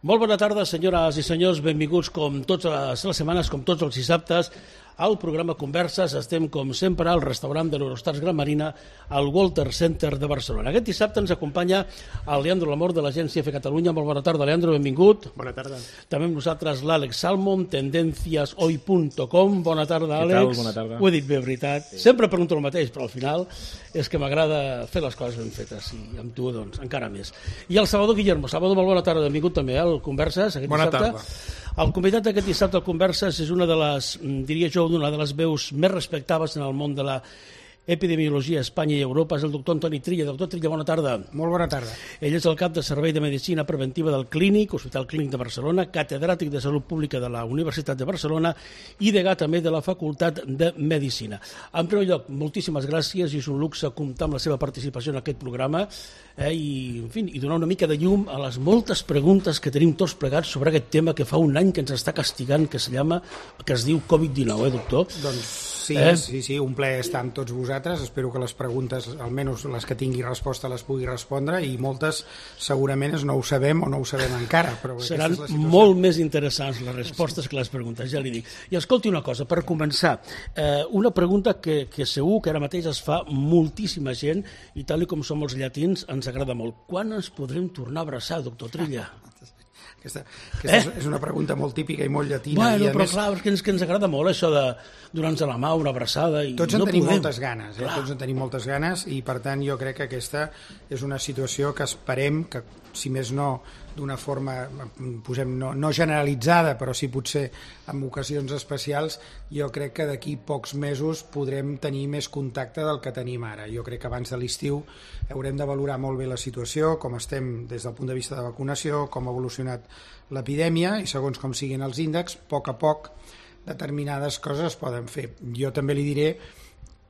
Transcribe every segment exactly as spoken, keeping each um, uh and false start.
Molt bona tarda, senyores i senyors. Benvinguts, com totes les setmanes, com tots els dissabtes, al programa Converses. Estem, com sempre, al restaurant de l'Eurostars Gran Marina, al Walter Center de Barcelona. Aquest dissabte ens acompanya el Leandro Lamor, de l'agència F Catalunya. Molt bona tarda, Leandro, benvingut. Bona tarda. També amb nosaltres l'Àlex Salmon, tendencias hoy punto com. Bona tarda, Àlex. Què tal? Bona tarda. Ho he dit bé, veritat. Sí. Sempre pregunto el mateix, però al final és que m'agrada fer les coses ben fetes, i amb tu, doncs, encara més. I el Salvador Guillermo. Salvador, molt bona tarda, benvingut també al Converses aquest bona dissabte. Tarda. El convidat d'aquest dissabte al Converses és una de les, diria jo, una de les veus més respectables en el món de la epidemiologia a Espanya i Europa. És el doctor Antoni Trilla. Doctor Trilla, bona tarda. Molt bona tarda. Ell és el cap de Servei de Medicina Preventiva del Clínic, Hospital Clínic de Barcelona, catedràtic de Salut Pública de la Universitat de Barcelona i degà també de la Facultat de Medicina. En primer lloc, moltíssimes gràcies, i és un luxe comptar amb la seva participació en aquest programa eh, i, en fi, i donar una mica de llum a les moltes preguntes que tenim tots plegats sobre aquest tema que fa un any que ens està castigant, que, se llama, que es diu covid dinou, eh, doctor? Doncs sí, eh? sí, sí, un plaer estar amb tots vosaltres. Espero que les preguntes, almenys les que tingui resposta, les pugui respondre, i moltes segurament no ho sabem o no ho sabem encara. Però seran molt més interessants les respostes que les preguntes, ja li dic. I escolti una cosa, per començar, eh, una pregunta que, que segur que ara mateix es fa moltíssima gent, i tal com som els llatins ens agrada molt. Quan ens podrem tornar a abraçar, doctor Trilla? Aquesta, aquesta eh? és una pregunta molt típica i molt llatina. Bueno, i però més, clar, és que ens, que ens agrada molt això de donar-nos la mà, una abraçada. I tots en no tenim podem. moltes ganes, eh? tots en tenim moltes ganes, i per tant jo crec que aquesta és una situació que esperem que, si més no, d'una forma posem, no, no generalitzada, però sí potser en ocasions especials, jo crec que d'aquí pocs mesos podrem tenir més contacte del que tenim ara. Jo crec que abans de l'estiu haurem de valorar molt bé la situació, com estem des del punt de vista de vacunació, com ha evolucionat l'epidèmia, i segons com siguin els índexs, a poc a poc determinades coses es poden fer. Jo també li diré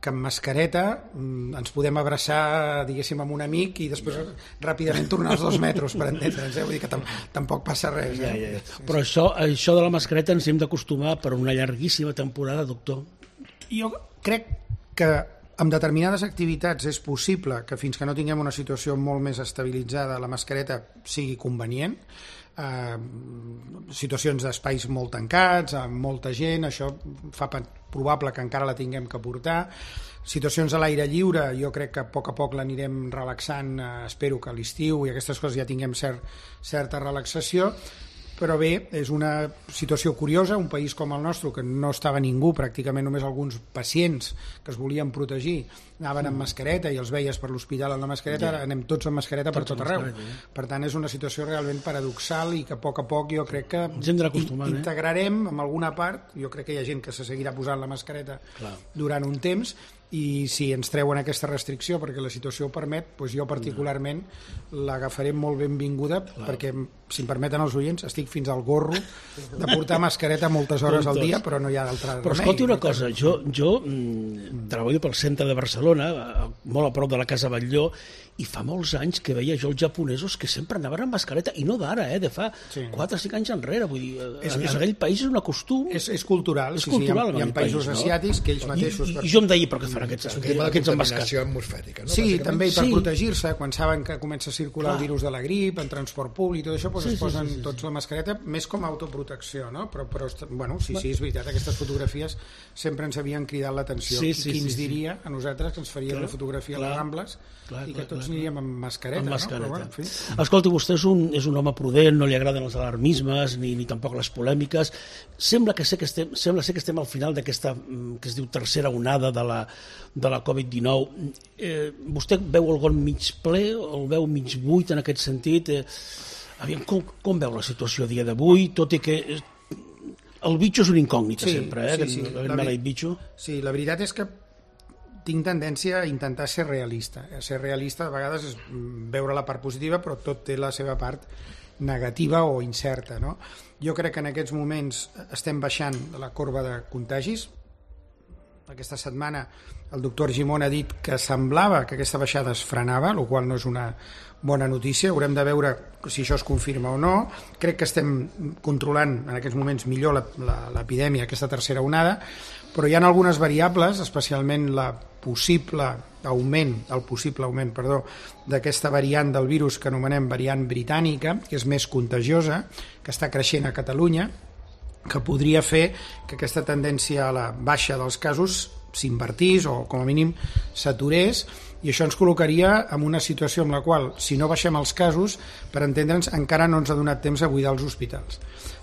que amb mascareta ens podem abraçar, diguéssim, amb un amic i després ràpidament tornar als dos metres, per entendre'ns, eh? Vull dir que tam tampoc passa res. Eh? Ja, ja, ja. Però això, això de la mascareta ens hem d'acostumar per una llarguíssima temporada, doctor. Jo crec que amb determinades activitats és possible que fins que no tinguem una situació molt més estabilitzada la mascareta sigui convenient. Uh, situacions d'espais molt tancats, amb molta gent, això fa probable que encara la tinguem que portar. Situacions a l'aire lliure, jo crec que a poc a poc l'anirem relaxant, uh, espero que a l'estiu i aquestes coses ja tinguem cert, certa relaxació. Però bé, és una situació curiosa, un país com el nostre, que no estava ningú, pràcticament només alguns pacients que es volien protegir anaven amb mascareta i els veies per l'hospital amb la mascareta, ara anem tots amb mascareta per tot arreu. Per tant, és una situació realment paradoxal i que a poc a poc jo crec que integrarem en alguna part. Jo crec que hi ha gent que se seguirà posant la mascareta durant un temps, i si ens treuen aquesta restricció perquè la situació ho permet, doncs jo particularment l'agafaré molt benvinguda, perquè, si em permeten els oients, estic fins al gorro de portar mascareta moltes hores al dia, però no hi ha d'altra remei. Però escolti una cosa, jo, jo mm, treballo pel centre de Barcelona, molt a prop de la Casa Batlló, i fa molts anys que veia jo els japonesos que sempre anaven amb mascareta, i no d'ara, eh, de fa sí. quatre o cinc anys enrere. Vull dir, és, en aquell país és un costum. És, és cultural, és sí, cultural sí, hi ha, hi ha països país, asiàtics no? que ells mateixos... I, i, i jo em deia, però què fan aquests, és un tema de contaminació atmosfèrica, no? Sí, també, i per sí. protegir-se, quan saben que comença a circular Clar. el virus de la grip, en transport públic, tot això, doncs sí, es posen sí, sí, sí, tots la mascareta, més com a autoprotecció, no? Però, però bueno, sí, sí, és veritat, aquestes fotografies sempre ens havien cridat l'atenció. Sí, I sí, qui ens sí, diria a nosaltres que ens faria una fotografia a les Rambles clar, i que tots clar, aniríem amb mascareta, amb mascareta. No? Però, bueno, en fi. Escolti, vostè és un, és un home prudent, no li agraden els alarmismes ni, ni tampoc les polèmiques. Sembla que sé que estem, sembla ser que estem al final d'aquesta que es diu tercera onada de la, de la covid dinou. Eh, vostè veu el got mig ple o el veu mig buit en aquest sentit? Eh, aviam, com, com veu la situació a dia d'avui, tot i que el bitxo és una incògnita sí, sempre, eh? Sí, sí. La, la, bitxo. sí, la veritat és que tinc tendència a intentar ser realista. A ser realista a vegades és veure la part positiva, però tot té la seva part negativa o incerta, no? Jo crec que en aquests moments estem baixant la corba de contagis. Aquesta setmana el doctor Argimon ha dit que semblava que aquesta baixada es frenava, el qual no és una bona notícia. Haurem de veure si això es confirma o no. Crec que estem controlant en aquests moments millor l'epidèmia, aquesta tercera onada, però hi ha algunes variables, especialment la possible augment, el possible augment, perdó, d'aquesta variant del virus que anomenem variant britànica, que és més contagiosa, que està creixent a Catalunya, que podria fer que aquesta tendència a la baixa dels casos s'invertís o com a mínim s'aturés, i això ens col·locaria en una situació en la qual, si no baixem els casos, per entendre'ns, encara no ens ha donat temps a buidar els hospitals.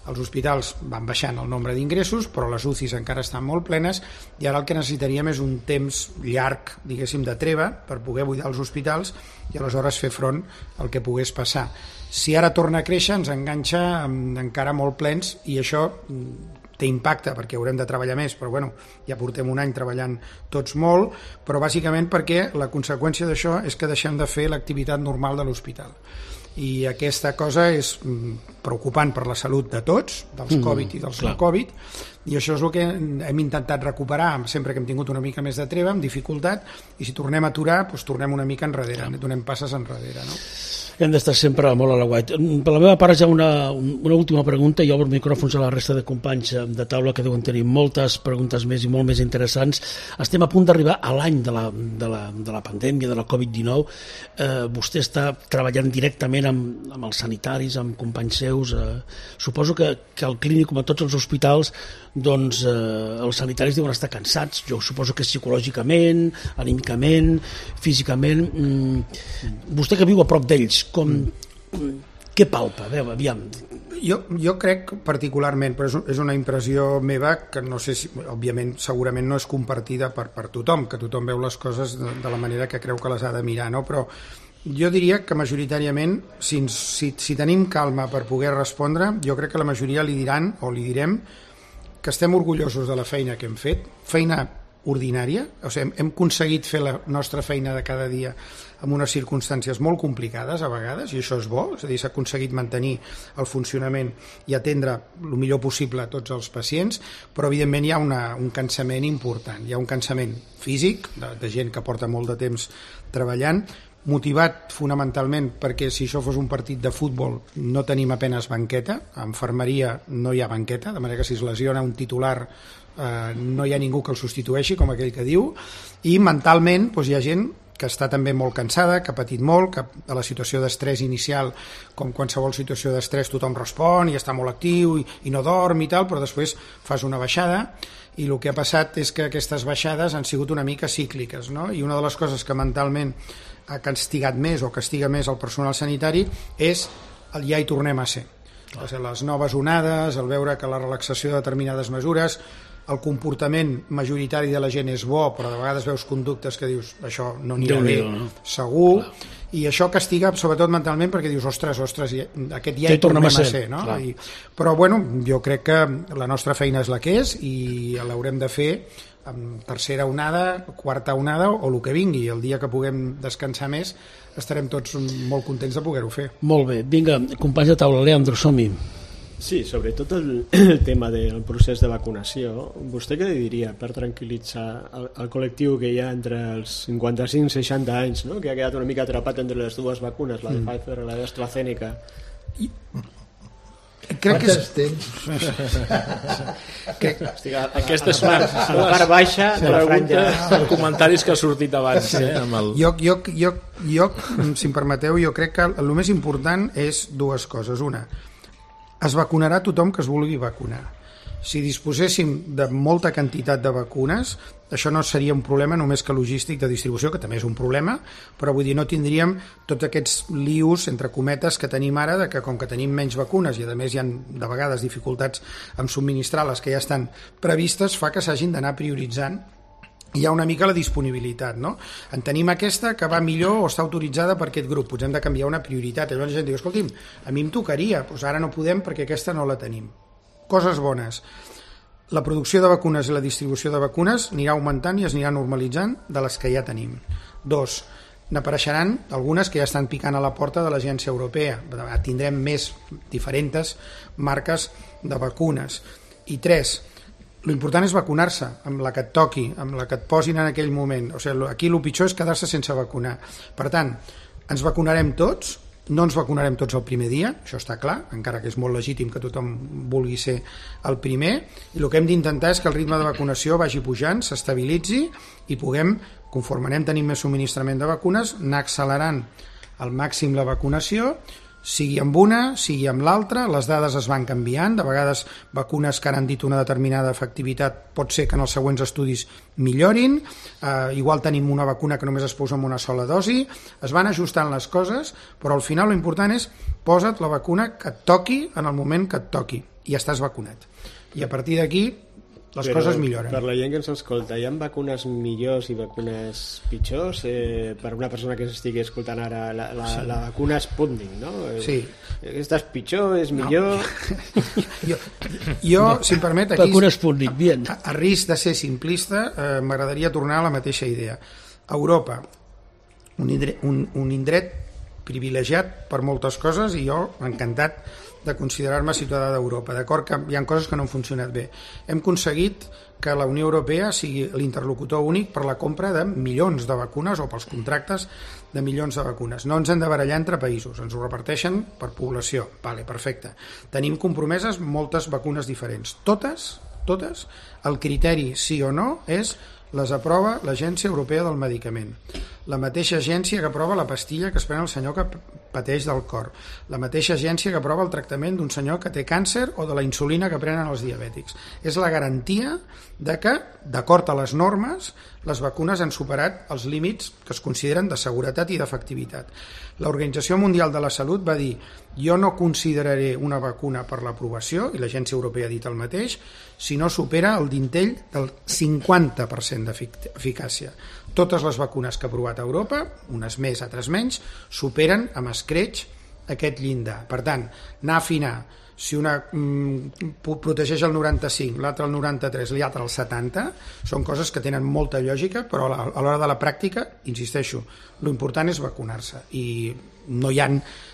Els hospitals van baixant el nombre d'ingressos, però les U C Is encara estan molt plenes, i ara el que necessitaríem és un temps llarg, diguéssim, de treva per poder buidar els hospitals i aleshores fer front al que pogués passar. Si ara torna a créixer, ens enganxa encara molt plens, i això té impacte perquè haurem de treballar més, però bueno, ja portem un any treballant tots molt, però bàsicament perquè la conseqüència d'això és que deixem de fer l'activitat normal de l'hospital. I aquesta cosa és preocupant per la salut de tots, dels Covid i dels no Covid, i això és el que hem intentat recuperar sempre que hem tingut una mica més de treva, amb dificultat, i si tornem a aturar, doncs tornem una mica enrere, donem passes enrere, no? Hem d'estar sempre molt a la guait. Per la meva part ja una, una última pregunta, i obro micròfons a la resta de companys de taula que deuen tenir moltes preguntes més i molt més interessants. Estem a punt d'arribar a l'any de la, de, la, de la pandèmia, de la Covid dinou. Eh, vostè està treballant directament amb, amb els sanitaris, amb companys seus. Eh, suposo que, que al clínic, com a tots els hospitals, doncs eh, els sanitaris deuen estar cansats. Jo suposo que psicològicament, anímicament, físicament. Mm, vostè que viu a prop d'ells, com, què palpa? A veure, aviam. Jo, jo crec particularment, però és, és una impressió meva que no sé si, òbviament, segurament no és compartida per, per tothom, que tothom veu les coses de, de la manera que creu que les ha de mirar, no? Però jo diria que majoritàriament, si, si, si tenim calma per poder respondre, jo crec que la majoria li diran, o li direm, que estem orgullosos de la feina que hem fet, feina ordinària, o sigui, hem, hem aconseguit fer la nostra feina de cada dia en unes circumstàncies molt complicades a vegades, i això és bo, és a dir, s'ha aconseguit mantenir el funcionament i atendre el millor possible a tots els pacients, però evidentment hi ha una, un cansament important, hi ha un cansament físic, de, de gent que porta molt de temps treballant, motivat fonamentalment perquè si això fos un partit de futbol no tenim apenes banqueta, a infermeria no hi ha banqueta, de manera que si es lesiona un titular eh, no hi ha ningú que el substitueixi, com aquell que diu, i mentalment doncs, hi ha gent que està també molt cansada, que ha patit molt, que a la situació d'estrès inicial, com qualsevol situació d'estrès, tothom respon i està molt actiu i, i no dorm i tal, però després fas una baixada, i el que ha passat és que aquestes baixades han sigut una mica cícliques, no? I una de les coses que mentalment ha castigat més o castiga més el personal sanitari és el ja hi tornem a ser. O sigui, les noves onades, el veure que la relaxació de determinades mesures, el comportament majoritari de la gent és bo, però de vegades veus conductes que dius això no anirà bé, no? Segur, clar. I això castiga sobretot mentalment perquè dius, ostres, ostres, aquest ja hi tornem a ser, a ser no? I, però bueno, jo crec que la nostra feina és la que és i l'haurem de fer amb tercera onada, quarta onada o el que vingui. El dia que puguem descansar més estarem tots molt contents de poder-ho fer. Molt bé, vinga, companys de taula, Leandro, som-hi. Sí, sobretot el, el tema del procés de vacunació. Vostè què diria per tranquil·litzar el, el col·lectiu que hi ha entre els cinquanta-cinc i seixanta anys, no? Que ha quedat una mica atrapat entre les dues vacunes, la de mm. Pfizer i la d'AstraZeneca? I... Crec que és... temps? que... Hosti, aquesta és la, la part baixa de la franja. Els comentaris que ha sortit abans. Eh, amb el... jo, jo, jo, jo, si em permeteu, jo crec que el més important és dues coses. Una, es vacunarà tothom que es vulgui vacunar. Si disposéssim de molta quantitat de vacunes, això no seria un problema només que logístic de distribució, que també és un problema, però vull dir, no tindríem tots aquests lius, entre cometes, que tenim ara, de que com que tenim menys vacunes i a més hi ha de vegades dificultats en subministrar les que ja estan previstes, fa que s'hagin d'anar prioritzant. Hi ha una mica la disponibilitat, no? En tenim aquesta que va millor o està autoritzada per aquest grup, doncs hem de canviar una prioritat. I llavors la gent diu, escolti'm, a mi em tocaria, doncs ara no podem perquè aquesta no la tenim. Coses bones. La producció de vacunes i la distribució de vacunes anirà augmentant i es anirà normalitzant de les que ja tenim. Dos, n'apareixeran algunes que ja estan picant a la porta de l'Agència Europea. Tindrem més diferents marques de vacunes. I tres, l'important és vacunar-se amb la que et toqui, amb la que et posin en aquell moment. O sigui, aquí el pitjor és quedar-se sense vacunar. Per tant, ens vacunarem tots, no ens vacunarem tots el primer dia, això està clar, encara que és molt legítim que tothom vulgui ser el primer, i el que hem d'intentar és que el ritme de vacunació vagi pujant, s'estabilitzi i puguem, conforme anem tenint més subministrament de vacunes, anar accelerant al màxim la vacunació, sigui amb una, sigui amb l'altra, les dades es van canviant, de vegades vacunes que ara han dit una determinada efectivitat pot ser que en els següents estudis millorin, eh, igual tenim una vacuna que només es posa amb una sola dosi, es van ajustant les coses, però al final l'important és posa't la vacuna que et toqui en el moment que et toqui i estàs vacunat. I a partir d'aquí les Però coses milloren. Per la gent que ens escolta, hi ha vacunes millors i vacunes pitjors? Eh, per una persona que s'estigui escoltant ara la, la, sí. la vacuna Sputnik, no? Sí. Aquesta és pitjor, és millor? No. jo, jo no. si em permet, aquí, vacuna Sputnik, bien. A, a risc de ser simplista, eh, m'agradaria tornar a la mateixa idea. Europa, un indret, un, un indret privilegiat per moltes coses i jo encantat de considerar-me ciutadà d'Europa. D'acord que hi ha coses que no han funcionat bé. Hem aconseguit que la Unió Europea sigui l'interlocutor únic per la compra de milions de vacunes o pels contractes de milions de vacunes. No ens hem de barallar entre països, ens ho reparteixen per població. Vale, perfecte. Tenim compromeses moltes vacunes diferents. Totes, totes, el criteri sí o no és les aprova l'Agència Europea del Medicament, la mateixa agència que aprova la pastilla que es pren el senyor que pateix del cor, la mateixa agència que aprova el tractament d'un senyor que té càncer o de la insulina que prenen els diabètics. És la garantia de que, d'acord a les normes, les vacunes han superat els límits que es consideren de seguretat i d'efectivitat. L'Organització Mundial de la Salut va dir jo no consideraré una vacuna per l'aprovació, i l'Agència Europea ha dit el mateix, si no supera el dintell del cinquanta per cent d'eficàcia. Totes les vacunes que ha aprovat a Europa, unes més, altres menys, superen amb escreix aquest llindar. Per tant, anar a afinar, si una mm, protegeix el noranta-cinc, l'altra el noranta-tres, l'altra el setanta, són coses que tenen molta lògica, però a l'hora de la pràctica, insisteixo, l'important és vacunar-se i no hi ha,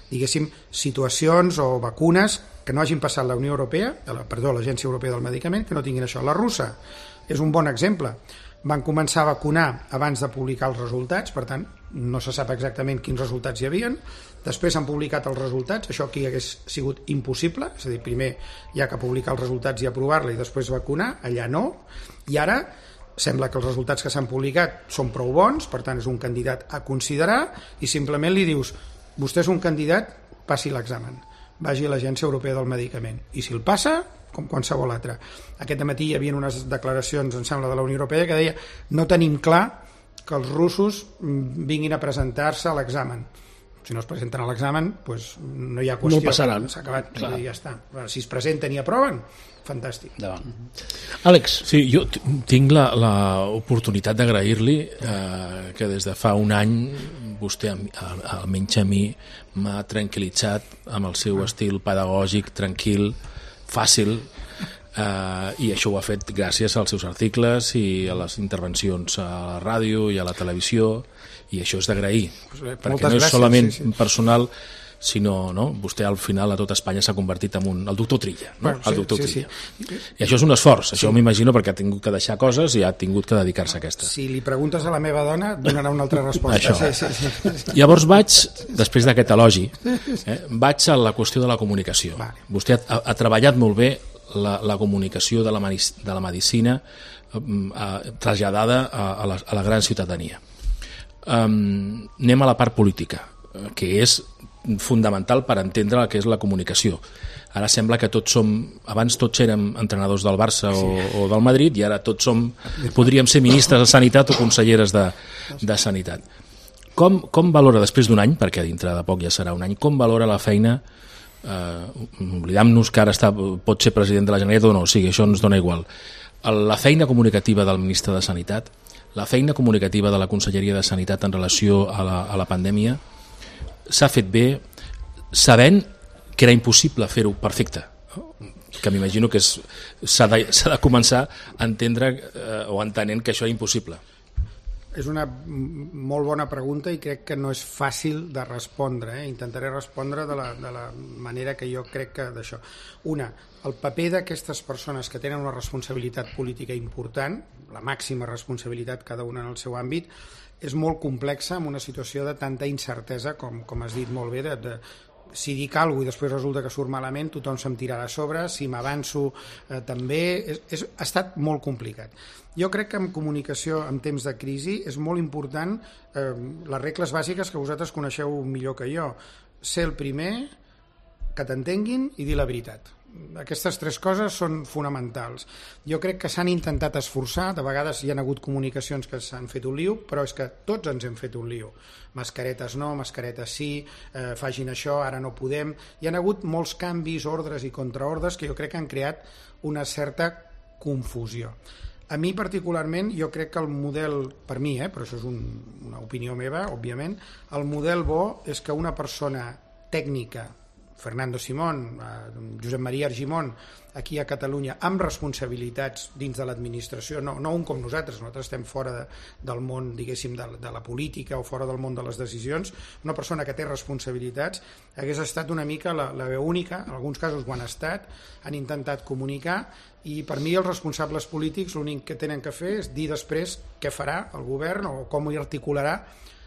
diguéssim, situacions o vacunes que no hagin passat la Unió Europea, perdó, l'Agència Europea del Medicament, que no tinguin això. La russa és un bon exemple. Van començar a vacunar abans de publicar els resultats, per tant, no se sap exactament quins resultats hi havien. Després han publicat els resultats, això aquí hagués sigut impossible, és a dir, primer hi ha que publicar els resultats i aprovar-la i després vacunar, allà no, i ara sembla que els resultats que s'han publicat són prou bons, per tant és un candidat a considerar i simplement li dius, vostè és un candidat, passi l'examen, vagi a l'Agència Europea del Medicament, i si el passa, com qualsevol altre. Aquest matí hi havia unes declaracions, em sembla, de la Unió Europea que deia no tenim clar que els russos vinguin a presentar-se a l'examen. Si no es presenten a l'examen, doncs no hi ha qüestió. No passaran. S'ha acabat, ja està. Si es presenten i aproven, fantàstic. Davant. Àlex. Sí, jo tinc l'oportunitat d'agrair-li eh, que des de fa un any vostè, almenys a mi, m'ha tranquil·litzat amb el seu estil pedagògic, tranquil, fàcil, eh, i això ho ha fet gràcies als seus articles i a les intervencions a la ràdio i a la televisió, i això és d'agrair, perquè no és gràcies, solament sí, sí. personal, sinó, no? Vostè al final a tot Espanya s'ha convertit en un, el doctor Trilla, no? Bueno, sí, el doctor sí, Trilla. Sí. I això és un esforç, això sí. m'imagino perquè ha tingut que deixar coses i ha tingut que dedicar-se a aquesta. Si li preguntes a la meva dona, donarà una altra resposta. Això. Sí, sí, sí. Llavors vaig, després d'aquest elogi, eh, vaig a la qüestió de la comunicació. Vale. Vostè ha, ha treballat molt bé la, la comunicació de la, de la medicina eh, traslladada a, a, la, a la gran ciutadania. Um, anem a la part política, que és fundamental per entendre el que és la comunicació. Ara sembla que tots som, abans tots érem entrenadors del Barça o, sí. o del Madrid, i ara tots som, podríem ser ministres de Sanitat o conselleres de, de Sanitat. Com, com valora, després d'un any, perquè dintre de poc ja serà un any, com valora la feina, eh, oblidam-nos que ara està, pot ser president de la Generalitat o no, o sigui, això ens dona igual, la feina comunicativa del ministre de Sanitat, la feina comunicativa de la Conselleria de Sanitat en relació a la, a la pandèmia, s'ha fet bé sabent que era impossible fer-ho perfecte, que m'imagino que s'ha de, de començar a entendre eh, o entenent que això és impossible. és una molt bona pregunta i crec que no és fàcil de respondre. Eh? Intentaré respondre de la, de la manera que jo crec que d'això. Una, el paper d'aquestes persones que tenen una responsabilitat política important, la màxima responsabilitat cada una en el seu àmbit, és molt complexa en una situació de tanta incertesa, com, com has dit molt bé, de, de si dic alguna cosa i després resulta que surt malament, tothom se'm tirarà a sobre, si m'avanço eh, també, és, és, ha estat molt complicat. Jo crec que en comunicació en temps de crisi és molt important eh, les regles bàsiques que vosaltres coneixeu millor que jo. Ser el primer, que t'entenguin i dir la veritat. Aquestes tres coses són fonamentals. Jo crec que s'han intentat esforçar, de vegades hi ha hagut comunicacions que s'han fet un lío, però és que tots ens hem fet un lío. Mascaretes no, mascaretes sí, eh, facin això, ara no podem. Hi ha hagut molts canvis, ordres i contraordres que jo crec que han creat una certa confusió. A mi particularment, jo crec que el model, per mi, eh, però això és un, una opinió meva, òbviament, el model bo és que una persona tècnica, Fernando Simón, Josep Maria Argimon, aquí a Catalunya, amb responsabilitats dins de l'administració, no, no un com nosaltres, nosaltres estem fora de, del món, diguéssim, de, de la política o fora del món de les decisions, una persona que té responsabilitats hagués estat una mica la, la veu única, en alguns casos ho han estat, han intentat comunicar, i per mi els responsables polítics l'únic que tenen que fer és dir després què farà el govern o com hi articularà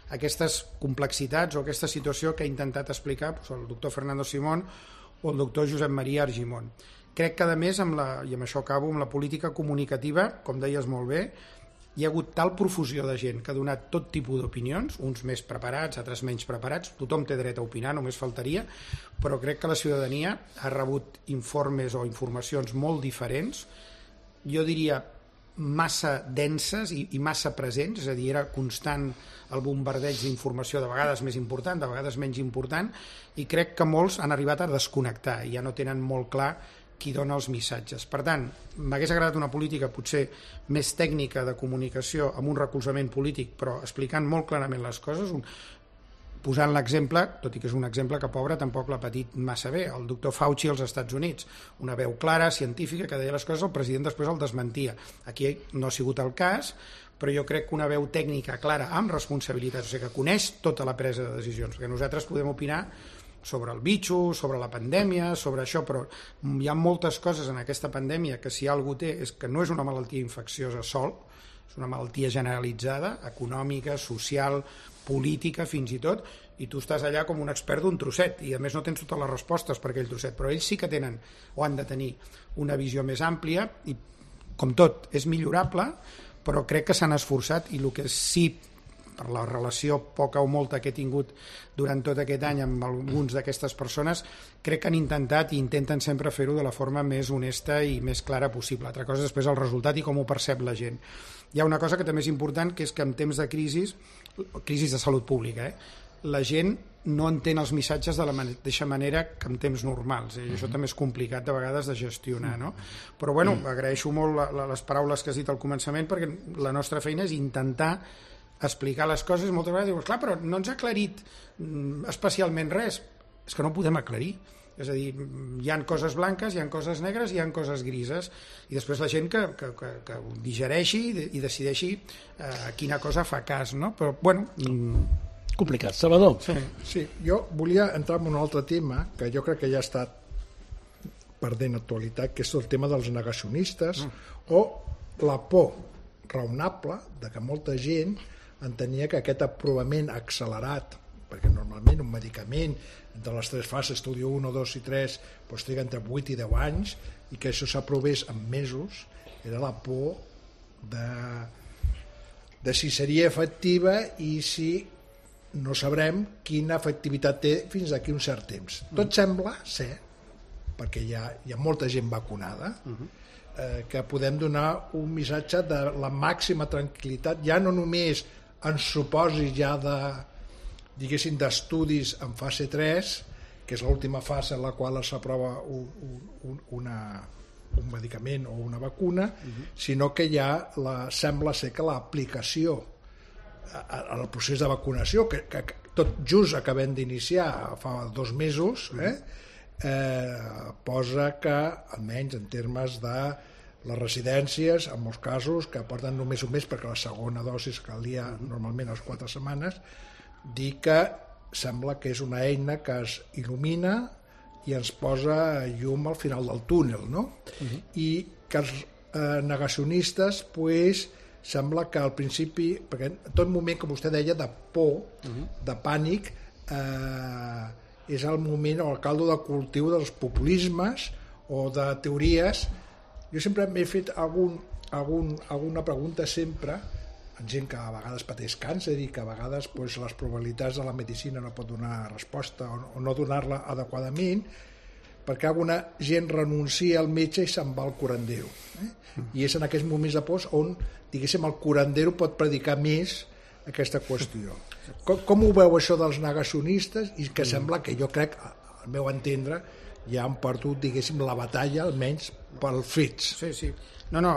aquestes complexitats o aquesta situació que ha intentat explicar doncs, el doctor Fernando Simón o el doctor Josep Maria Argimon. Crec que, a més, amb la, i amb això acabo, amb la política comunicativa, com deies molt bé, hi ha hagut tal profusió de gent que ha donat tot tipus d'opinions, uns més preparats, altres menys preparats, tothom té dret a opinar, només faltaria, però crec que la ciutadania ha rebut informes o informacions molt diferents, jo diria massa denses i, i massa presents, és a dir, era constant el bombardeig d'informació, de vegades més important, de vegades menys important, i crec que molts han arribat a desconnectar i ja no tenen molt clar qui dona els missatges. Per tant, m'hagués agradat una política potser més tècnica de comunicació amb un recolzament polític, però explicant molt clarament les coses, un, posant l'exemple, tot i que és un exemple que pobre tampoc l'ha patit massa bé, el doctor Fauci als Estats Units, una veu clara, científica, que deia les coses, el president després el desmentia. Aquí no ha sigut el cas, però jo crec que una veu tècnica clara, amb responsabilitats, o sigui, que coneix tota la presa de decisions, perquè nosaltres podem opinar sobre el bitxo, sobre la pandèmia, sobre això, però hi ha moltes coses en aquesta pandèmia que si algú té és que no és una malaltia infecciosa sol, és una malaltia generalitzada, econòmica, social, política fins i tot, i tu estàs allà com un expert d'un trosset i a més no tens totes les respostes per aquell trosset, però ells sí que tenen o han de tenir una visió més àmplia i com tot és millorable, però crec que s'han esforçat i el que sí, per la relació poca o molta que he tingut durant tot aquest any amb alguns d'aquestes persones, crec que han intentat i intenten sempre fer-ho de la forma més honesta i més clara possible. Altra cosa és després el resultat i com ho percep la gent. Hi ha una cosa que també és important, que és que en temps de crisi, crisi de salut pública, eh, la gent no entén els missatges de la mateixa manera que en temps normals, eh? I això també és complicat de vegades de gestionar, no? Però bueno, agraeixo molt la, la, les paraules que has dit al començament, perquè la nostra feina és intentar explicar les coses. Moltes vegades dius, clar, però no ens ha aclarit especialment res. És que no ho podem aclarir. És a dir, hi ha coses blanques, hi ha coses negres, hi ha coses grises, i després la gent que, que, que, que ho digereixi i decideixi eh, quina cosa fa cas, no? Però, bueno... Complicat. Salvador? Sí, sí, jo volia entrar en un altre tema que jo crec que ja ha estat perdent actualitat, que és el tema dels negacionistes mm. o la por raonable de que molta gent entenia que aquest aprovament accelerat, perquè normalment un medicament entre les tres fases, estudi un, dos i tres, doncs triga entre vuit i deu anys, i que això s'aprovés en mesos, era la por de, de si seria efectiva i si no sabrem quina efectivitat té fins d'aquí un cert temps. Tot sembla ser, perquè hi ha, hi ha molta gent vacunada, eh, que podem donar un missatge de la màxima tranquil·litat, ja no només en supòsits ja de, diguéssim, d'estudis en fase tres, que és l'última fase en la qual s'aprova un, un, una, un medicament o una vacuna, uh-huh. sinó que ja la, sembla ser que l'aplicació al procés de vacunació, que, que tot just acabem d'iniciar fa dos mesos, eh, eh, posa que, almenys en termes de Les residències, en molts casos, que porten només un mes perquè la segona dosi calia normalment a les quatre setmanes, dir que sembla que és una eina que es il·lumina i ens posa llum al final del túnel, no? Uh-huh. I que els eh, negacionistes, pues, sembla que al principi, perquè en tot moment, com vostè deia, de por, uh-huh. de pànic, eh, és el moment o el caldo de cultiu dels populismes o de teories. Jo sempre m'he fet algun, algun, alguna pregunta sempre, en gent que a vegades pateix càncer i que a vegades pues, les probabilitats de la medicina no pot donar resposta o, o no donar-la adequadament, perquè alguna gent renuncia al metge i se'n va al curandero. Eh? I és en aquests moments de por on, diguéssim, el curandero pot predicar més aquesta qüestió. Com, com ho veu això dels negacionistes? I que sembla que jo crec, al meu entendre, ja han perdut, diguéssim, la batalla, almenys pels fets. Sí, sí. No, no,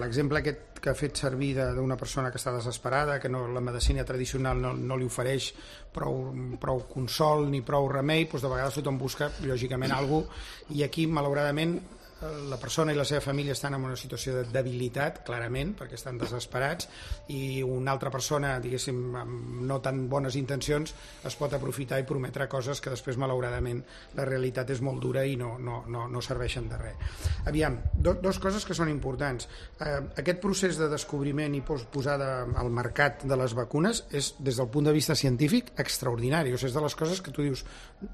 l'exemple aquest que ha fet servir d'una persona que està desesperada, que no, la medicina tradicional no, no li ofereix prou, prou consol ni prou remei, doncs de vegades tothom busca, lògicament, alguna cosa, i aquí, malauradament, la persona i la seva família estan en una situació de debilitat, clarament, perquè estan desesperats, i una altra persona, diguéssim, amb no tan bones intencions, es pot aprofitar i prometre coses que després, malauradament, la realitat és molt dura i no, no, no, no serveixen de res. Aviam, do, dos coses que són importants. Eh, aquest procés de descobriment i posada al mercat de les vacunes és, des del punt de vista científic, extraordinari. O sigui, és de les coses que tu dius,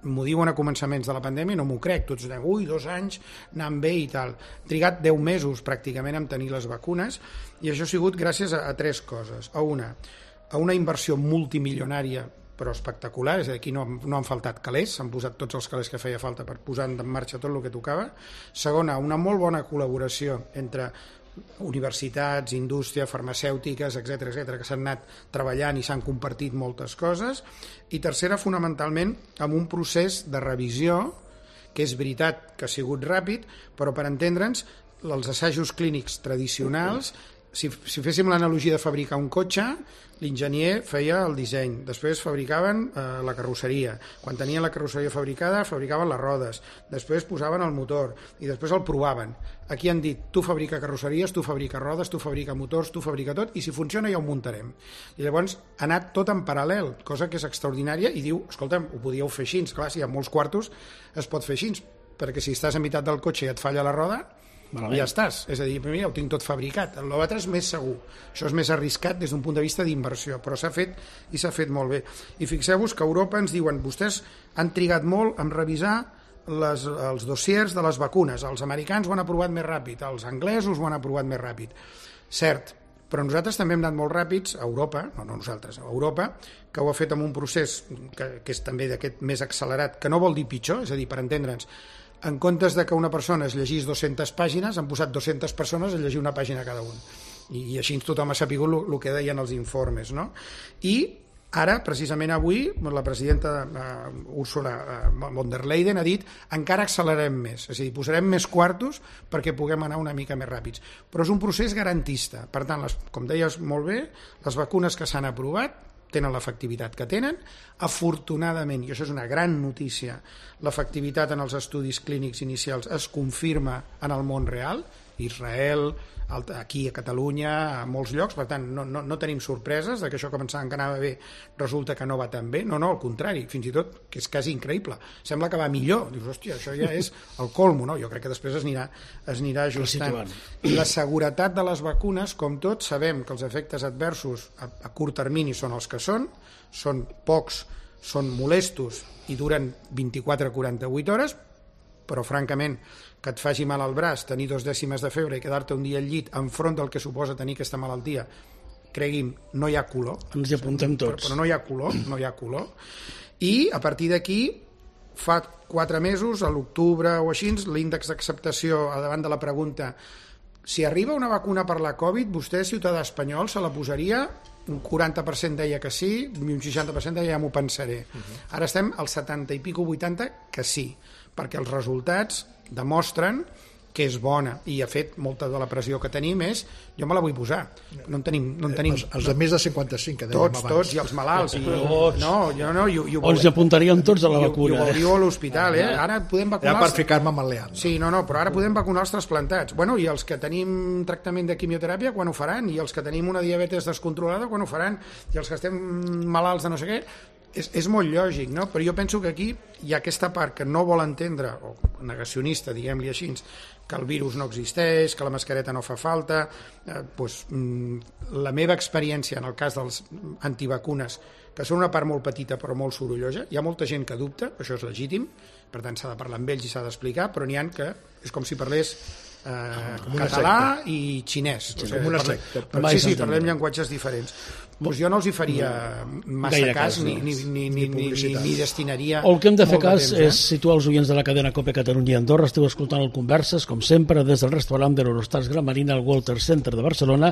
m'ho diuen a començaments de la pandèmia i no m'ho crec. Tots diuen, ui, dos anys, anant bé i tal. Trigat deu mesos pràcticament en tenir les vacunes i això ha sigut gràcies a, a tres coses. A una, a una inversió multimilionària però espectacular, és a dir, aquí no, no han faltat calés, s'han posat tots els calés que feia falta per posar en marxa tot el que tocava. Segona, una molt bona col·laboració entre universitats, indústria, farmacèutiques, etcètera, etcètera, que s'han anat treballant i s'han compartit moltes coses. I tercera, fonamentalment, amb un procés de revisió que és veritat que ha sigut ràpid, però per entendre'ns, els assajos clínics tradicionals, si, si féssim l'analogia de fabricar un cotxe, l'enginyer feia el disseny, després fabricaven eh, la carrosseria, quan tenien la carrosseria fabricada, fabricaven les rodes, després posaven el motor i després el provaven. Aquí han dit, tu fabrica carrosseries, tu fabrica rodes, tu fabrica motors, tu fabrica tot, i si funciona ja ho muntarem. I llavors ha anat tot en paral·lel, cosa que és extraordinària, i diu, escolta'm, ho podíeu fer així, clar, si hi ha molts quartos es pot fer així, perquè si estàs a meitat del cotxe i et falla la roda, malament. Ja estàs, és a dir, mira, ho tinc tot fabricat. L'altre és més segur, això és més arriscat des d'un punt de vista d'inversió, però s'ha fet i s'ha fet molt bé. I fixeu-vos que a Europa ens diuen, vostès han trigat molt en revisar les, els dossiers de les vacunes, els americans ho han aprovat més ràpid, els anglesos ho han aprovat més ràpid. Cert, però nosaltres també hem anat molt ràpids a Europa, no, no nosaltres, a Europa, que ho ha fet amb un procés que, que és també d'aquest més accelerat, que no vol dir pitjor, és a dir, per entendre'ns, en comptes de que una persona es llegís dues-centes pàgines, han posat dues-centes persones a llegir una pàgina cada un. I, i així tothom ha sapigut el que deien els informes, no? I ara, precisament avui, la presidenta uh, Ursula uh, von der Leyen ha dit encara accelerem més, és a dir, posarem més quartos perquè puguem anar una mica més ràpids. Però és un procés garantista. Per tant, les, com deies molt bé, les vacunes que s'han aprovat tenen l'efectivitat que tenen. Afortunadament, i això és una gran notícia, l'efectivitat en els estudis clínics inicials es confirma en el món real, Israel, aquí a Catalunya, a molts llocs, per tant no, no, no tenim sorpreses de que això començava que anava bé, resulta que no va tan bé, no, no, al contrari, fins i tot que és quasi increïble, sembla que va millor, dius, hòstia, això ja és el colmo, no? Jo crec que després es anirà, es anirà ajustant. I la seguretat de les vacunes, com tot, sabem que els efectes adversos a, a curt termini són els que són, són pocs, són molestos i duren vint-i-quatre a quaranta-vuit hores, però francament que et faci mal al braç, tenir dos dècimes de febre i quedar-te un dia al llit enfront del que suposa tenir aquesta malaltia, cregui'm, no hi ha color. Ens hi apuntem tots. Però, però no hi ha color, no hi ha color. I a partir d'aquí, fa quatre mesos, a l'octubre o així, l'índex d'acceptació davant de la pregunta si arriba una vacuna per la Covid, vostè, ciutadà espanyol, se la posaria? Un quaranta per cent deia que sí, un seixanta per cent deia ja m'ho pensaré. Uh-huh. Ara estem al setanta i pico, vuitanta, que sí, perquè els resultats demostren que és bona i ha fet molta de la pressió que tenim és jo me la vull posar, no en tenim, no en tenim els, els de més de cinquanta-cinc que dèiem tots, abans. tots, i els malalts i, Tots. no, jo no, i, i ho O ens apuntaríem tots a la i, vacuna. i ho veuríeu a l'hospital, eh? Ara podem vacunar Ja per els... ficar-me amb el Leandro. Sí, no, no, però ara podem vacunar els trasplantats. Bueno, i els que tenim tractament de quimioteràpia, quan ho faran? I els que tenim una diabetes descontrolada, quan ho faran? I els que estem malalts de no sé què? És, és molt lògic, no? Però jo penso que aquí hi ha aquesta part que no vol entendre, o negacionista, diguem-li així, que el virus no existeix, que la mascareta no fa falta. Eh, doncs, la meva experiència en el cas dels antivacunes, que són una part molt petita però molt sorollosa, hi ha molta gent que dubta, això és legítim, per tant s'ha de parlar amb ells i s'ha d'explicar, però n'hi ha que és com si parlés eh, català i xinès. Sí, com una secta. Sí, sí, parlem llenguatges diferents. Doncs jo no els hi faria massa Gaire cas, cas, ni, no. ni, ni, ni, ni, ni, ni destinaria O el que hem de fer molt cas temps, eh? és situar els oients de la cadena COPE Catalunya i Andorra. Esteu escoltant el Converses, com sempre, des del restaurant de l'Eurostars Gran Marina al Walter Center de Barcelona,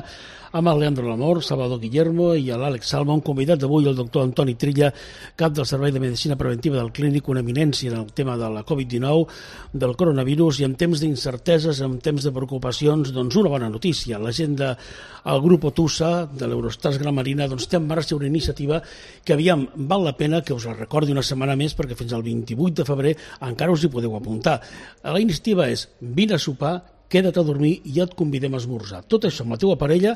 amb el Leandro Lamor, Salvador Guillermo i l'Àlex Salma, un convidat d'avui, el doctor Antoni Trilla, cap del Servei de Medicina Preventiva del Clínic, una eminència en el tema de la covid dinou, del coronavirus, i en temps d'incerteses, en temps de preocupacions, doncs una bona notícia. La gent del grup Otusa, de l'Eurostars Gran Marina, doncs té en marxa una iniciativa que, aviam, val la pena que us la recordi una setmana més, perquè fins al vint-i-vuit de febrer encara us hi podeu apuntar. La iniciativa és vine a sopar, queda't a dormir i ja et convidem a esmorzar. Tot això amb la teua parella,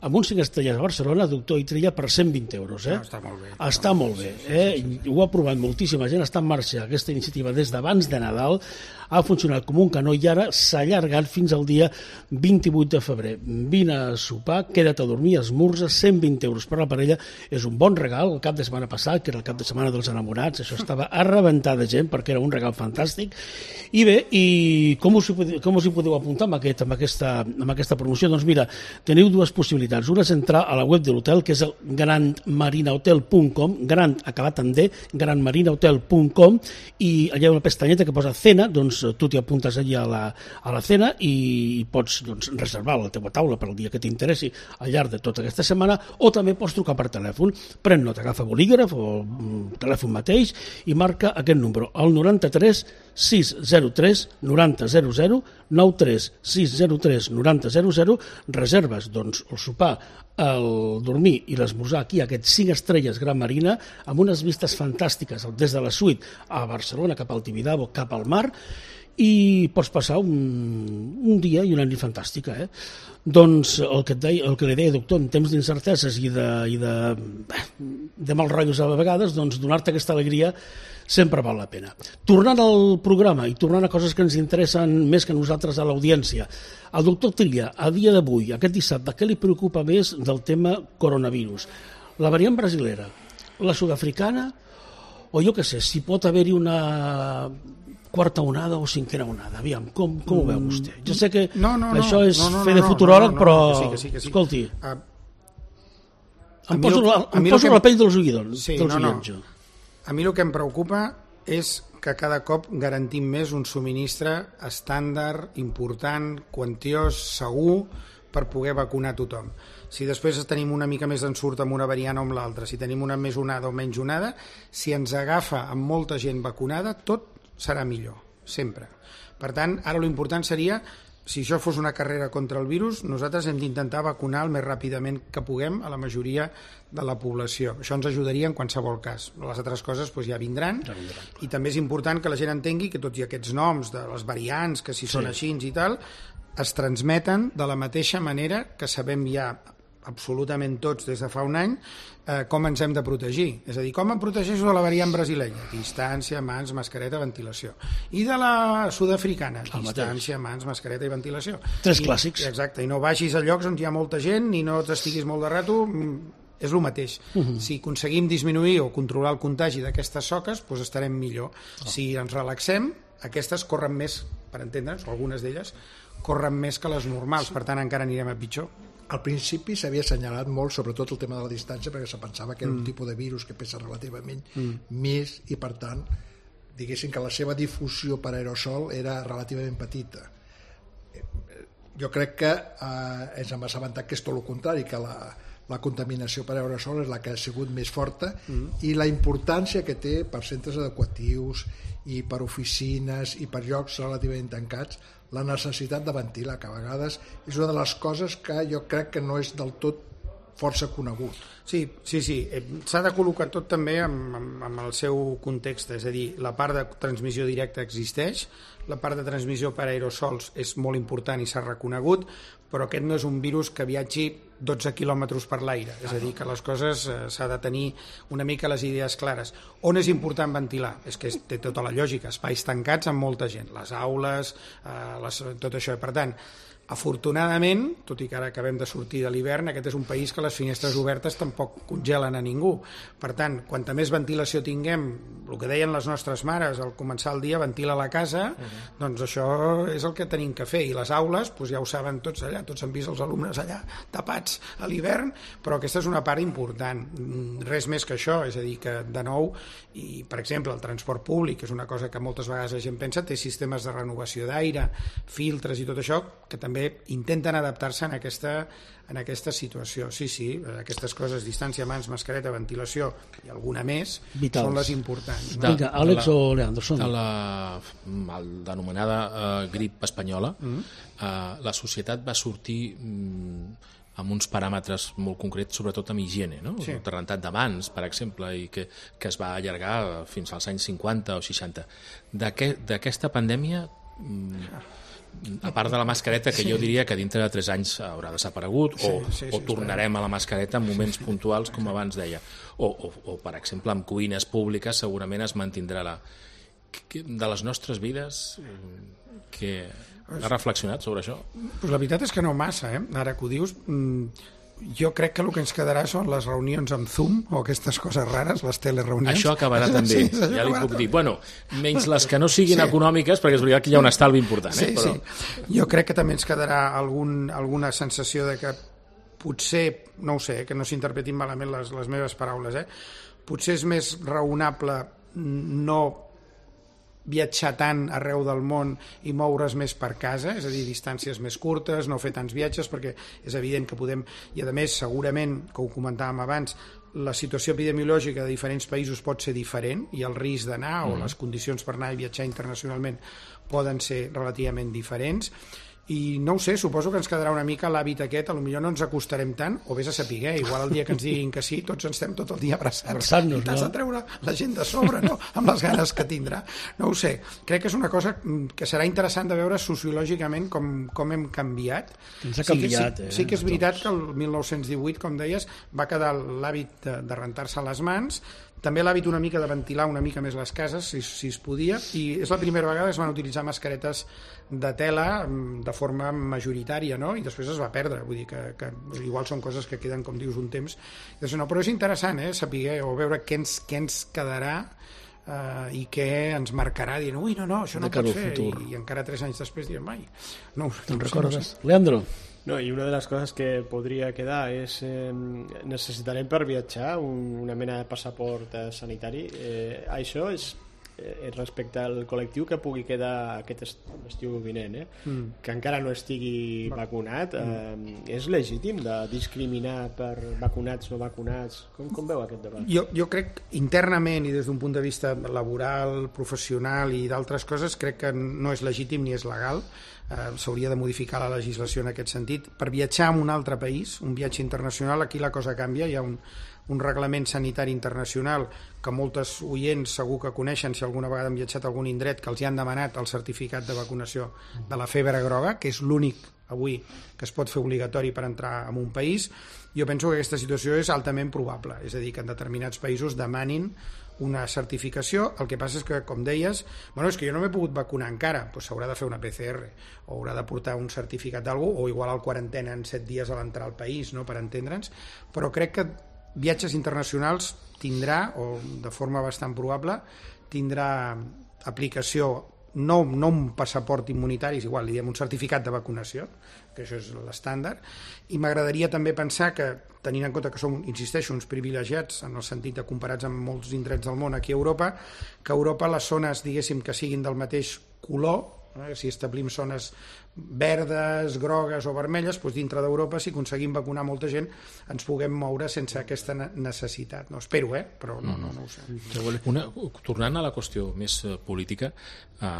amb un cinc estrelles a Barcelona, doctor Trilla, per cent vint euros. Eh? No, està molt bé. Està molt bé. Eh? Ho ha provat moltíssima gent, està en marxa aquesta iniciativa des d'abans de Nadal, ha funcionat com un canó i ara s'ha allargat fins al dia vint-i-vuit de febrer. Vine a sopar, queda't a dormir, esmorza, cent vint euros per la parella, és un bon regal. El cap de setmana passat, que era el cap de setmana dels enamorats, això estava a rebentar de gent perquè era un regal fantàstic. I bé, i com us hi podeu, com us hi podeu apuntar amb, aquest, amb, aquesta, amb aquesta promoció? Doncs mira, teniu dues possibilitats. Una és entrar a la web de l'hotel, que és el gran marina hotel punt com, gran acabat en D, gran marina hotel punt com, i allà hi ha una pestanyeta que posa cena, doncs tu t'hi apuntes allà a la, a la cena i pots doncs, reservar la teva taula per al dia que t'interessi al llarg de tota aquesta setmana, o també pots trucar per telèfon. Pren nota, agafa bolígraf o telèfon mateix i marca aquest número, el noranta-tres sis zero tres noranta zero zero, nou tres sis zero tres noranta zero zero, reserves doncs, el sopar, el dormir i l'esmorzar aquí, aquests cinc estrelles Gran Marina, amb unes vistes fantàstiques des de la suite a Barcelona, cap al Tibidabo, cap al mar, i pots passar un, un dia i una nit fantàstica. Eh? Doncs el que, et deia, el que li deia, doctor, en temps d'incerteses i de, i de, de mal rotllos a vegades, doncs donar-te aquesta alegria sempre val la pena. Tornant al programa i tornant a coses que ens interessen més que nosaltres a l'audiència, el doctor Trilla, a dia d'avui, aquest dissabte, què li preocupa més del tema coronavirus? La variant brasilera, la sud-africana, o jo què sé, si pot haver-hi una quarta onada o cinquena onada? Aviam, com, com ho veu vostè? Jo sé que no, no, no, això és no, no, fer no, de futuròleg, no, no, no, però, que sí, que sí, que sí. escolti, Uh, em poso, lo, la, em poso la pell dels oïdors. Sí, dels no, no. oients, jo. A mi el que em preocupa és que cada cop garantim més un subministre estàndard, important, quantiós, segur, per poder vacunar tothom. Si després tenim una mica més d'ensurt amb una variant o amb l'altra, si tenim una més onada o menys onada, si ens agafa amb molta gent vacunada, tot serà millor, sempre. Per tant, ara l'important seria, si això fos una carrera contra el virus, nosaltres hem d'intentar vacunar el més ràpidament que puguem a la majoria de la població. Això ens ajudaria en qualsevol cas. Les altres coses doncs, ja vindran. Ja vindran. I també és important que la gent entengui que tots i aquests noms de les variants, que si són sí. així i tal, es transmeten de la mateixa manera que sabem ja absolutament tots des de fa un any eh, com ens hem de protegir. És a dir, com em protegeixo de la variant brasilenya? Distància, mans, mascareta, ventilació. I de la sud-africana? Distància, mans, mascareta i ventilació. Tres I, clàssics. Exacte, i no vagis a llocs on hi ha molta gent ni no t'estiguis molt de rato, és el mateix. Uh -huh. Si aconseguim disminuir o controlar el contagi d'aquestes soques, doncs estarem millor. Oh. Si ens relaxem, aquestes corren més, per entendre'ns, o algunes d'elles, corren més que les normals, per tant encara anirem a pitjor. Al principi s'havia assenyalat molt sobretot el tema de la distància perquè se pensava que era mm. un tipus de virus que pesa relativament mm. més i per tant diguéssim que la seva difusió per aerosol era relativament petita. Jo crec que eh, ens hem assabentat que és tot el contrari, que la, la contaminació per aerosol és la que ha sigut més forta, mm. i la importància que té per centres educatius i per oficines i per llocs relativament tancats la necessitat de ventilar, que a vegades és una de les coses que jo crec que no és del tot força conegut. Sí, sí, sí. S'ha de col·locar tot també amb, amb, amb el seu context, és a dir, la part de transmissió directa existeix, la part de transmissió per aerosols és molt important i s'ha reconegut, però aquest no és un virus que viatgi dotze quilòmetres per l'aire, és a dir, que les coses eh, s'ha de tenir una mica les idees clares. On és important ventilar? És que té tota la lògica, espais tancats amb molta gent, les aules, eh, les, tot això. Per tant, afortunadament, tot i que ara acabem de sortir de l'hivern, aquest és un país que les finestres obertes tampoc congelen a ningú. Per tant, quanta més ventilació tinguem, el que deien les nostres mares al començar el dia, ventila la casa, uh-huh. doncs això és el que tenim que fer. I les aules, doncs ja ho saben tots allà, tots han vist els alumnes allà tapats a l'hivern, però aquesta és una part important. Res més que això, és a dir, que de nou, i per exemple, el transport públic, és una cosa que moltes vegades la gent pensa, té sistemes de renovació d'aire, filtres i tot això, que també intenten adaptar-se en aquesta, en aquesta situació. Sí, sí, aquestes coses, distància, mans, mascareta, ventilació i alguna més, vitals, són les importants. No? Vinga, Àlex o Leandro, som. De la denominada uh, grip espanyola, mm. uh, la societat va sortir um, amb uns paràmetres molt concrets, sobretot amb higiene, no? Sí. El rentat de mans, per exemple, i que, que es va allargar fins als anys cinquanta o seixanta. D'aquesta pandèmia... Um, a part de la mascareta, que sí. jo diria que dintre de tres anys haurà desaparegut, sí, o, sí, sí, o tornarem a la mascareta en moments sí. puntuals, com abans deia, o, o, o per exemple amb cuines públiques segurament es mantindrà la... de les nostres vides, que has reflexionat sobre això? Pues la veritat és que no massa, eh? Ara que ho dius, jo crec que el que ens quedarà són les reunions amb Zoom o aquestes coses rares, les telereunions. Això acabarà també, sí, ja li puc dir. Bueno, menys les que no siguin sí. econòmiques, perquè és veritat que hi ha un estalvi important. Eh? Sí, però... sí. Jo crec que també ens quedarà algun, alguna sensació de que potser, no ho sé, que no s'interpretin malament les, les meves paraules, eh? Potser és més raonable no viatjar tant arreu del món i moure's més per casa, és a dir, distàncies més curtes, no fer tants viatges, perquè és evident que podem, i a més segurament, que ho comentàvem abans, la situació epidemiològica de diferents països pot ser diferent i el risc d'anar mm. o les condicions per anar i viatjar internacionalment poden ser relativament diferents. I no ho sé, suposo que ens quedarà una mica l'hàbit aquest, potser no ens acostarem tant, o vés a saber, igual el dia que ens diguin que sí, tots ens estem tot el dia abraçats, i t'has de treure la gent de sobre, no? Amb les ganes que tindrà. No ho sé, crec que és una cosa que serà interessant de veure sociològicament com, com hem canviat. Ens ha canviat, sí, que, sí, eh? sí que és veritat que el mil nou-cents divuit, com deies, va quedar l'hàbit de, de rentar-se les mans, també l'hàbit una mica de ventilar una mica més les cases, si, si es podia, i és la primera vegada que es van utilitzar mascaretes de tela de forma majoritària, no? I després es va perdre, vull dir que, que igual són coses que queden, com dius, un temps. No, però és interessant, eh, saber o veure què ens, què ens quedarà uh, i què ens marcarà, dient, ui, no, no, això no pot fer, i, i encara tres anys després diem, mai. No, Te'n recordes? No sé. Leandro? No, i una de les coses que podria quedar és eh, necessitarem per viatjar un, una mena de passaport eh, sanitari. Eh, això és eh, respecte al col·lectiu que pugui quedar aquest estiu vinent, eh? mm. que encara no estigui vacunat. Eh, és legítim de discriminar per vacunats o no vacunats? Com, com veu aquest debat? Jo, jo crec internament i des d'un punt de vista laboral, professional i d'altres coses, crec que no és legítim ni és legal. Uh, s'hauria de modificar la legislació en aquest sentit. Per viatjar a un altre país, un viatge internacional, aquí la cosa canvia, hi ha un, un reglament sanitari internacional que moltes oients segur que coneixen si alguna vegada han viatjat a algun indret, que els hi han demanat el certificat de vacunació de la febre groga, que és l'únic avui que es pot fer obligatori per entrar en un país. Jo penso que aquesta situació és altament probable, és a dir, que en determinats països demanin una certificació. El que passa és que, com deies, bueno, és que jo no m'he pogut vacunar encara, doncs s'haurà de fer una P C R o haurà de portar un certificat d'algú, o igual el quarantena en set dies a l'entrar al país, no?, per entendre'ns, però crec que viatges internacionals tindrà, o de forma bastant probable, tindrà aplicació, no, no un passaport immunitari, és igual, li diem un certificat de vacunació, que això és l'estàndard, i m'agradaria també pensar que, tenint en compte que som, insisteixo, uns privilegiats en el sentit de comparats amb molts indrets del món aquí a Europa, que a Europa les zones, diguéssim, que siguin del mateix color, Eh? Si establim zones verdes, grogues o vermelles, doncs dintre d'Europa, si aconseguim vacunar molta gent, ens puguem moure sense aquesta necessitat. No, espero, eh? Però no, no, no ho sé. Una, tornant a la qüestió més política, eh,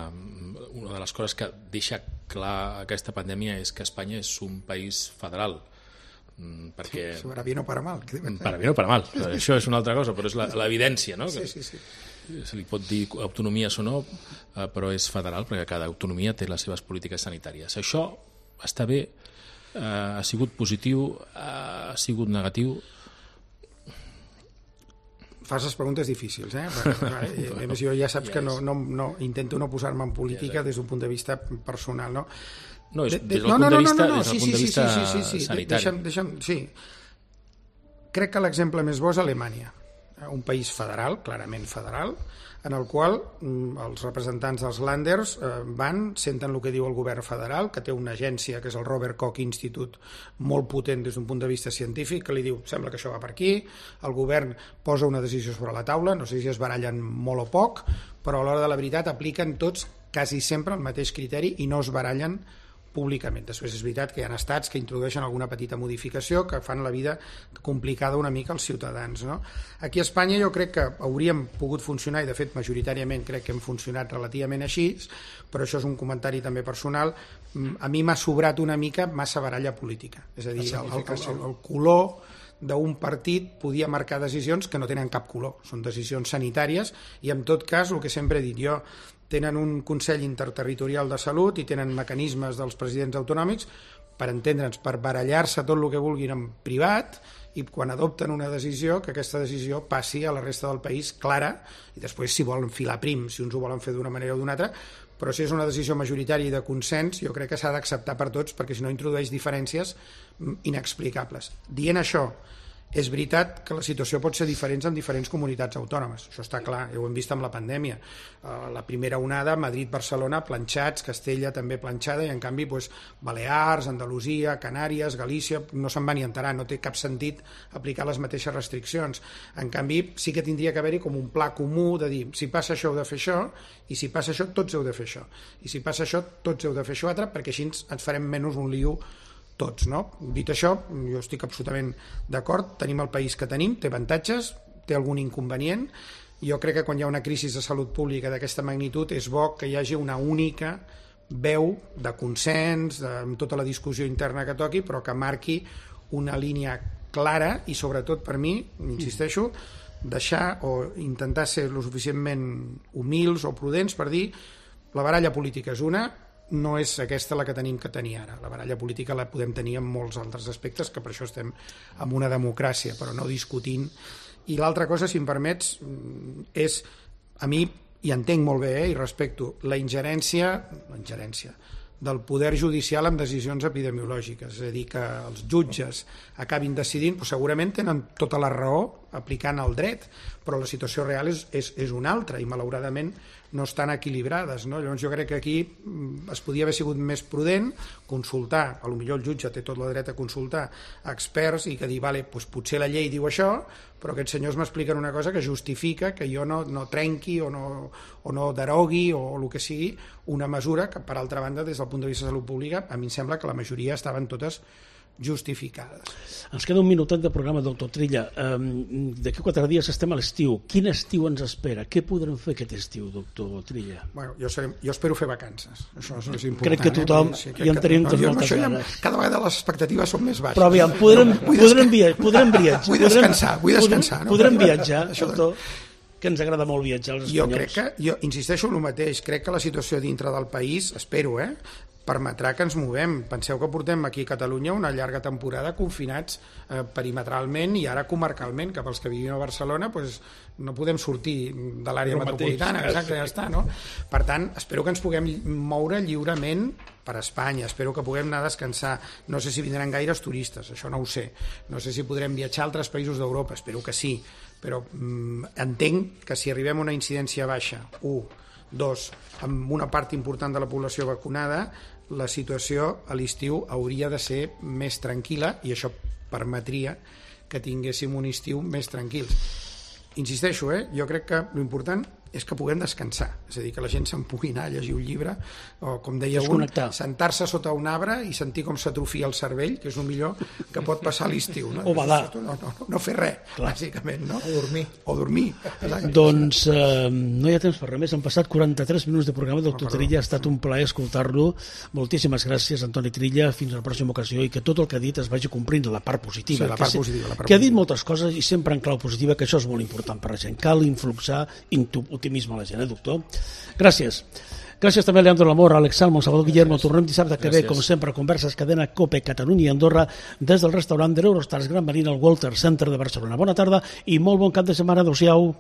una de les coses que deixa clar aquesta pandèmia és que Espanya és un país federal, perquè... Sí, para bien o para mal. Para bien o para mal, això és una altra cosa, però és l'evidència, no? Sí, sí, sí. Se li pot dir autonomies o no, però és federal perquè cada autonomia té les seves polítiques sanitàries. Això està bé, ha sigut positiu, ha sigut negatiu? Fas les preguntes difícils, eh? Perquè, a més, jo ja saps que no, no, no, intento no posar-me en política des d'un punt de vista personal, no? No, és, de, des del no, punt no, de no, vista, no, no, des del sí, punt de sí, vista sí, sí, sí, sí. sanitari. Deixa'm, deixa'm, sí. Crec que l'exemple més bo és Alemanya, un país federal, clarament federal, en el qual els representants dels Länders van, senten el que diu el govern federal, que té una agència, que és el Robert Koch Institute, molt potent des d'un punt de vista científic, que li diu, sembla que això va per aquí, el govern posa una decisió sobre la taula, no sé si es barallen molt o poc, però a l'hora de la veritat apliquen tots quasi sempre el mateix criteri i no es barallen públicament. Després és veritat que hi ha estats que introdueixen alguna petita modificació que fan la vida complicada una mica als ciutadans, no? Aquí a Espanya jo crec que hauríem pogut funcionar, i de fet majoritàriament crec que hem funcionat relativament així, però això és un comentari també personal. A mi m'ha sobrat una mica massa baralla política, és a dir, el, el, el, el color d'un partit podia marcar decisions que no tenen cap color, són decisions sanitàries, i en tot cas, el que sempre he dit jo, tenen un Consell Interterritorial de Salut i tenen mecanismes dels presidents autonòmics per entendre'ns, per barallar-se tot el que vulguin en privat, i quan adopten una decisió, que aquesta decisió passi a la resta del país clara, i després si volen filar prim, si uns ho volen fer d'una manera o d'una altra, però si és una decisió majoritària i de consens, jo crec que s'ha d'acceptar per tots, perquè si no introdueix diferències inexplicables. Dient això, és veritat que la situació pot ser diferent en diferents comunitats autònomes, això està clar, ho hem vist amb la pandèmia. La primera onada, Madrid-Barcelona, planxats, Castella també planxada, i en canvi doncs, Balears, Andalusia, Canàries, Galícia, no se'n va ni enterar, no té cap sentit aplicar les mateixes restriccions. En canvi, sí que tindria que haver-hi com un pla comú de dir, si passa això heu de fer això, i si passa això tots heu de fer això, i si passa això tots heu de fer això altre, perquè així ens farem menys un lío tots, no? Dit això, jo estic absolutament d'acord, tenim el país que tenim, té avantatges, té algun inconvenient. Jo crec que quan hi ha una crisi de salut pública d'aquesta magnitud és bo que hi hagi una única veu de consens, de, amb tota la discussió interna que toqui, però que marqui una línia clara i sobretot per mi, insisteixo, deixar o intentar ser lo suficientment humils o prudents per dir la baralla política és una, no és aquesta la que tenim que tenir ara. La baralla política la podem tenir en molts altres aspectes, que per això estem en una democràcia, però no discutint. I l'altra cosa, si em permets, és, a mi, i entenc molt bé, eh, i respecto, la ingerència, la ingerència del poder judicial en decisions epidemiològiques, és a dir, que els jutges acabin decidint, doncs segurament tenen tota la raó aplicant el dret, però la situació real és, és, és una altra i malauradament no estan equilibrades, no? Llavors jo crec que aquí es podia haver sigut més prudent, consultar, a lo millor el jutge té tot el dret a consultar a experts i que dir, vale, doncs potser la llei diu això, però aquests senyors m'expliquen una cosa que justifica que jo no, no trenqui o no, o no derogui o el que sigui una mesura que, per altra banda, des del punt de vista de salut pública, a mi em sembla que la majoria estaven totes justificades. Ens queda un minutet de programa, doctor Trilla. Um, D'aquí quatre dies estem a l'estiu. Quin estiu ens espera? Què podrem fer aquest estiu, doctor Trilla? Bueno, jo, seré, jo espero fer vacances. Això és important. Crec que tothom, eh? sí, ja en tenim tots moltes ganes. Cada vegada les expectatives són més baixes. Però aviam, podrem, podrem, via, podrem viatjar. Vull descansar, vull descansar. Podrem, no? podrem viatjar, doctor, que ens agrada molt viatjar als espanyols. Jo crec que, jo insisteixo en el mateix, crec que la situació dintre del país, espero, eh, permetrà que ens movem. Penseu que portem aquí a Catalunya una llarga temporada confinats eh, perimetralment i ara comarcalment, que pels que vivim a Barcelona pues, no podem sortir de l'àrea metropolitana, exacte, ja està, no? Per tant, espero que ens puguem moure lliurement per Espanya, espero que puguem anar a descansar. No sé si vindran gaires turistes, això no ho sé. No sé si podrem viatjar a altres països d'Europa, espero que sí, però mm, entenc que si arribem a una incidència baixa, u, dos, amb una part important de la població vacunada, la situació a l'estiu hauria de ser més tranquil·la i això permetria que tinguéssim un estiu més tranquil. Insisteixo, eh? Jo crec que l'important és que puguem descansar, és a dir, que la gent se'n pugui anar a llegir un llibre, o com deia un, Desconnectar. sentar-se sota un arbre i sentir com s'atrofia el cervell, que és el millor que pot passar a l'estiu. No? O badar. No, no, no fer res, Clar. bàsicament. No? O dormir. O dormir. Doncs eh, no hi ha temps per res més, han passat quaranta-tres minuts de programa, doctor Trilla, ha estat un plaer escoltar-lo. Moltíssimes gràcies, Antoni Trilla, fins a la pròxima ocasió, i que tot el que ha dit es vagi complint la part positiva. Sí, la part que, positiva, la part que ha dit positiva. moltes coses i sempre en clau positiva, que això és molt important per la gent. Cal influxar optimisme a la gent, eh, doctor? Gràcies. Gràcies també a Leandro Lamor, a Alex Salmo, Salvador Guillermo. Tornem dissabte que ve, com sempre, Converses Cadena Cope, Catalunya i Andorra, des del restaurant de l'Eurostars Gran Marina al Walter Center de Barcelona. Bona tarda i molt bon cap de setmana. Adéu-siau.